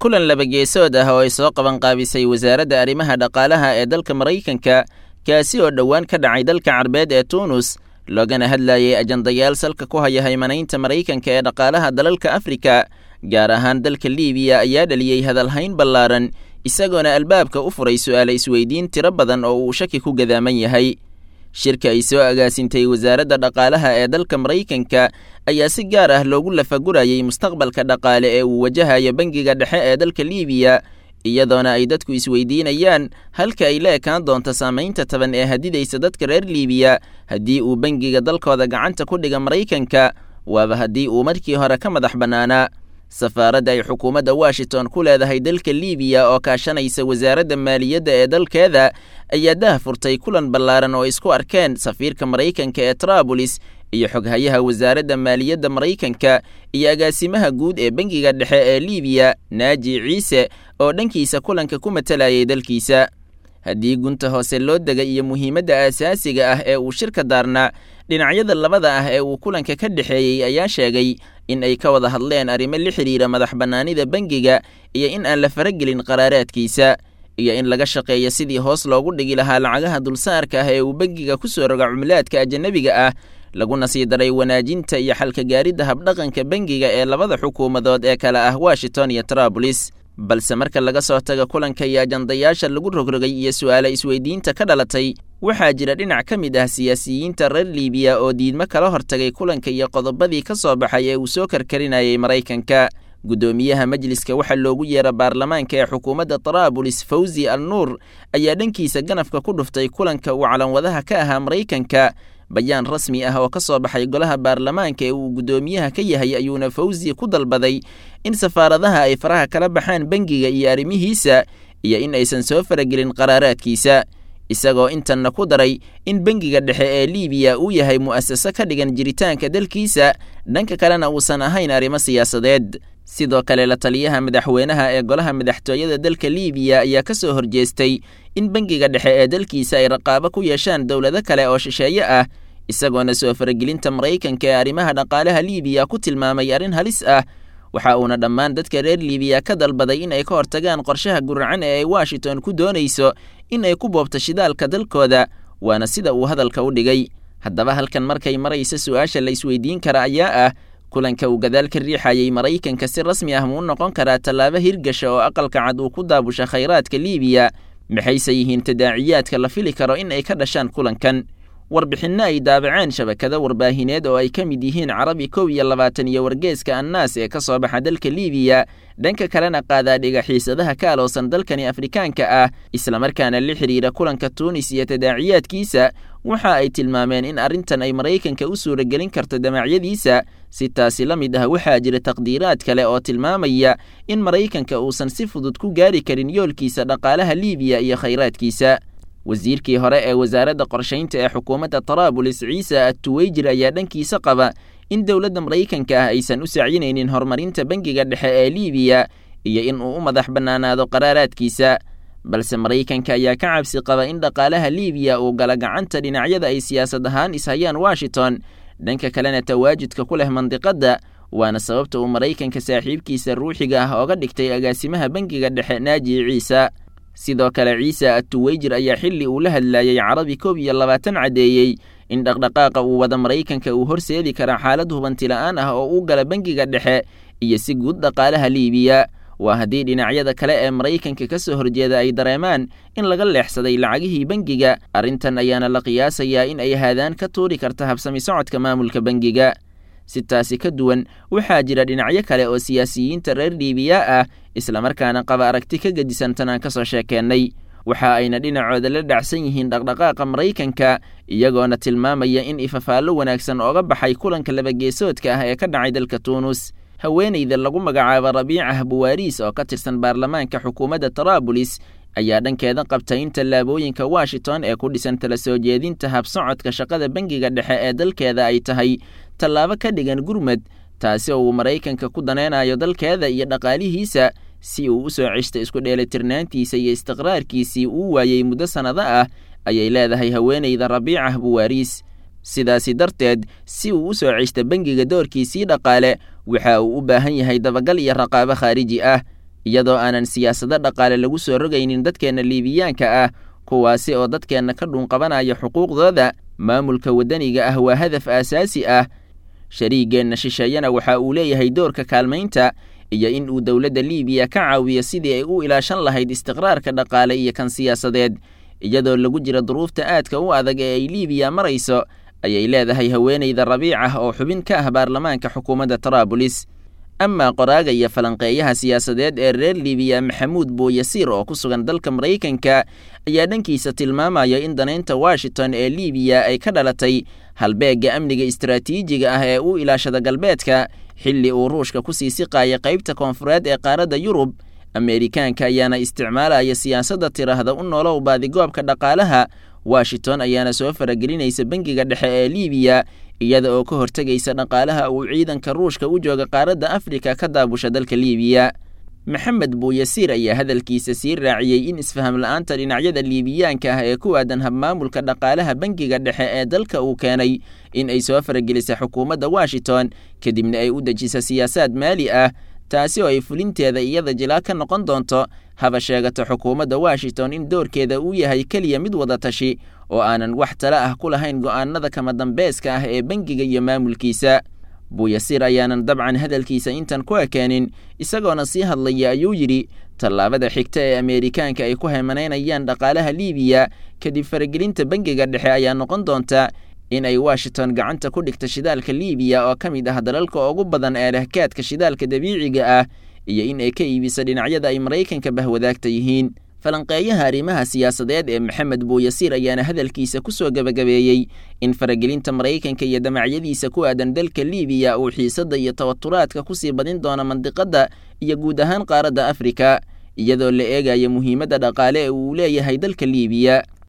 Kulan labageesood ah oo ay soo qabanqaabisay wasaaradda arrimaha dhaqaalaha ee dalka Maraykanka, kaasi oo dhowaan ka dhacay dalka Carbeed ee Tuunus, loogana hadlayay ajandayaal salka ku haya haymanaynta Maraykanka ee dhaqaalaha dalalka Afrika, gaar ahaan dalka Liibiya, ayaa dhaliyey hadalhayn ballaaran, isagoona albaabka u furay su'aale isweydiin tiro badan oo uu shaki ku gadaaman yahay. Shirka ay soo agaasintay wasaaradda dhaqaalaha ee dalka Maraykanka ayaa si gaar ah loogu lafagurayay mustaqbalka dhaqaale ee uu wajahayo bangiga dhexe ee dalka Liibiya, iyadoona ay dadku isweydiinayaan halka ay la ekaan doonto saamaynta taban ee hadidaysa dadka reer Liibiya haddii uu bangiga dalkooda gacanta ku dhiga Maraykanka, waaba haddii uu markii hore ka madax bannaanaa. Safaaradda ay xukuumadda Washington ku leedahay dalka Liibiya oo kaashanaysa wasaaradda maaliyadda ee dalkeeda ayaa dah furtay kulan ballaaran oo isku arkeen safiirka Maraykanka ee Traabulis iyo xoghayaha wasaaradda maaliyadda Maraykanka iyo agaasimaha guud ee bangiga dhexe ee Liibiya, Naaji Ciise, oo dhankiisa kulanka ku matalayay dalkiisa. Haddii gunta hoose loo dega iyo muhiimadda aasaasiga ah ee uu shirka daarnaa, dhinacyada labada ah ee uu kulanka ka dhexeeyey ayaa sheegay in ay ka wada hadleen arrimo la xidhiira madax bannaanida bangiga iyo in aan la faragelin qaraaraadkiisa, iyo in laga shaqeeyo sidii hoos loogu dhigi lahaa lacagaha dulsaarka ah ee uu bangiga ku soo roga cumlaadka ajanabiga ah, laguna sii daray wanaajinta iyo xalka gaaridda habdhaqanka bangiga ee labada xukuumadood ee kale ah Washington iyo Traabulis. Balse marka laga soo tago kulanka iyo ajandayaasha lagu rogrogay iyo su'aale isweydiinta ka dhalatay, waxaa jira dhinac ka mid ah siyaasiyiinta reer Liibiya oo diidmo kala hortagay kulanka iyo qodobadii ka soo baxay ee uu soo karkarinayay Maraykanka. Guddoomiyaha majliska waxaa loogu yeera baarlamaanka ee xukuumadda Traabulis, Fawzi Al Nuur, ayaa dhankiisa ganafka ku dhuftay kulanka uu calanwadaha ka ahaa Maraykanka. Bayaan rasmi ah oo ka soo baxay golaha baarlamaanka ee uu guddoomiyaha ka yahay ayuuna Fawzi ku dalbaday in safaaradaha ay faraha kala baxaan bangiga iyo arrimihiisa, iyo in aysan soo faragelin qaraaraadkiisa, isagoo intanna ku daray in bangiga dhexe ee Liibiya uu yahay mu'asaso ka dhigan jiritaanka dalkiisa, dhanka kalena uusan ahayn arrimo siyaasadeed. Sidoo kale, la taliyaha madaxweynaha ee golaha madaxtooyada dalka Liibiya ayaa ka soo horjeestay in bangiga dhexe ee dalkiisa ay raqaabo ku yeeshaan dowlado kale oo shisheeye ah, isagoona soo faragelinta Maraykanka ee arrimaha dhaqaalaha Liibiya ku tilmaamay arrin halis ah. Waxa uuna dhammaan dadka reer Liibiya ka dalbaday in ay ka hortagaan qorshaha guracan ee ay Washington ku doonayso in ay ku boobto shidaalka dalkooda, waana sida uu hadalka u dhigay. Haddaba halkan markay maraysa, su'aasha la isweydiin kara ayaa ah: kulanka uu gadaal ka riixayay Maraykanka si rasmi ah muu noqon karaa tallaabo hirgasha oo aqalka cad uu ku daabusha khayraadka Liibiya? Maxayse yihiin tadaaciyaadka la fili karo in ay ka dhashaan kulankan? Warbixinno ay daabaceen shabakado warbaahineed oo ay ka mid yihiin Carabi 21 iyo wargeeska Annaas ee ka soo baxa dalka Liibiya, dhanka kalena qaadaadhiga xiisadaha ka aloosan dalkani Afrikaanka ah, islamarkaana la xidhiira kulanka Tuunis iyo tadaaciyaadkiisa, waxa ay tilmaameen in arrintan ay Maraykanka u suuragelin karto damacyadiisa. Si taasi la mid ah, waxaa jira taqdiiraad kale oo tilmaamaya in Maraykanka uusan si fudud ku gaari karin yoolkiisa dhaqaalaha Liibiya iyo khayraadkiisa. Wasiirkii hore ee wasaaradda qorshaynta ee xukuumadda Taraabulis, Ciise Attuweyjir, ayaa dhankiisa qaba in dowladda Maraykanka ah aysan u sacyinaynin horumarinta bangiga dhexe ee Liibiya iyo in uu u madax bannaanaado qaraaraadkiisa, balse Maraykanka ayaa ka cabsi qaba in dhaqaalaha Liibiya uu gala gacanta dhinacyada ay siyaasad ahaan ishayaan Washington, dhanka kalena tawaajudka ku leh mandiqadda, waana sababta uu Maraykanka saaxiibkiisa ruuxiga ah ooga dhigtay agaasimaha bangiga dhexe, Naaji Ciise. Sidoo kale, Ciise Attuweyjir ayaa xilli uu la hadlayay Carabi 21 caddeeyey in dhaqdhaqaaqa uu wada Maraykanka uu horseedi kara xaalad hubanti la'aan ah oo u gala bangiga dhexe iyo si guud dhaqaalaha Liibiya, waa haddii dhinacyada kale ee Maraykanka ka soo horjeeda ay dareemaan in laga leexsaday lacagihii bangiga. Arrintan ayaana la qiyaasayaa in ay haadaan ka tuuri karta habsami socodka maamulka bangiga. Si taasi ka duwan, waxaa jira dhinacyo kale oo siyaasiyiinta reer Liibiya ah, islamarkaana qaba aragti ka gedisan tan aan ka soo sheekeennay. Waxa ayna dhinacooda la dhacsan yihiin dhaqdhaqaaqa Maraykanka, iyagoona tilmaamaya in ifafaallo wanaagsan ooga baxay kulanka labageesoodka ah ee ka dhacay dalka Tuunus. Haweenayda lagu magacaabo Rabiicah Buwaariis oo ka tirsan baarlamaanka xukuumadda Taraabulis ayaa dhankeeda qabtay in tallaabooyinka Washington ee ku dhisan tala soo jeedinta habsocodka shaqada bangiga dhexe ee dalkeeda ay tahay tallaabo ka dhigan gurmad, taasi oo uu Maraykanka ku daneynayo dalkeeda iyo dhaqaalihiisa si uu u soo ceshto isku dheelitirnaantiisa iyo istiqraarkiisii uu waayey muddo sannado ah, ayay leedahay haweenayda Rabiicah Buwaariis. Sidaasi darteed, si uu u soo ceshto bangiga doorkiisii dhaqaale, waxa uu u baahan yahay dabagal iyo raqaabo khaariji ah. Iyadoo aanan siyaasado dhaqaale lagu soo rogaynin dadkeenna Liibiyaanka ah, kuwaasi oo dadkeenna ka dhuunqabanaya xuquuqdooda. Maamulka waddaniga ah waa hadaf aasaasi ah. Shariigeenna shisheeyana waxa uu leeyahay doorka kaalmaynta iyo in uu dowladda Liibiya ka caawiyo sidii ay u ilaashan lahayd istiqraarka dhaqaale iyo kan siyaasadeed, iyadoo lagu jira duruufta aadka u adag ee ay Liibiya marayso, ayay leedahay haweeneyda Rabiicah oo xubin ka ah baarlamaanka xukuumadda Taraabulis. Amaa qoraaga iyo falanqeeyaha siyaasadeed ee reer Liibiya Maxamuud Buuyasiir oo ku sugan dalka Maraykanka ayaa dhankiisa tilmaamaya in danaynta Washington ee Liibiya ay ka dhalatay halbeegga amniga istaraatiijiga ah ee u ilaashada galbeedka, xilli uu Ruushka kusii siqaaya qaybta koonfureed ee qaaradda Yurub. Ameerikaanka ayaana isticmaalaya siyaasadda tiraahda u nolow baadigoobka dhaqaalaha. Washington ayaana soo faragelinaysa bangiga dhexe ee Liibiya, iyada oo ka hortegaysa dhaqaalaha uu ciidanka Ruushka u jooga qaaradda Afrika ka daabusha dalka Liibiya. Maxamed Buuyasiir ayaa hadalkiisa sii raaciyey in isfaham la'aanta dhinacyada Liibiyaanka ah ee ku aadan habmaamulka dhaqaalaha bangiga dhexe ee dalka uu keenay in ay soo faragelisa xukuumadda Washington, kadibna ay u dejisa siyaasaad maali ah, taasi oo ay fulinteeda iyada jilaa ka noqon doonto. Haba sheegato xukuumadda Washington in doorkeeda uu yahay keliya mid wada tashi oo aanan wax tala ah ku lahayn go'aanada kama dambeeska ah ee bangiga iyo maamulkiisa. Buuyasiir ayaanan dabcan hadalkiisa intan ku ekeenin, isagoona sii hadlaya ayuu yidhi: tallaabada xigta ee Ameerikaanka ay ku hemanaynayaan dhaqaalaha Liibiya kadib faragelinta bangiga dhexe ayaa noqon doonta in ay Washington gacanta ku dhigto shidaalka Liibiya oo ka mid ah dalalka ugu badan ee leh kaadka shidaalka dabiiciga ah, iyo in ay ka iibiso dhinacyada ay Maraykanka bahwadaagta yihiin. Falanqeeyaha arrimaha siyaasadeed ee Maxamed Buuyasiir ayaana hadalkiisa ku soo gebagabeeyey in faragelinta Maraykanka iyo damacyadiisa ku aadan dalka Liibiya uu xiisadda iyo tawaturaadka kusii badin doono mandiqadda iyo guud ahaan qaaradda Afrika, iyadoo la eegayo muhiimadda dhaqaale ee uu leeyahay dalka Liibiya.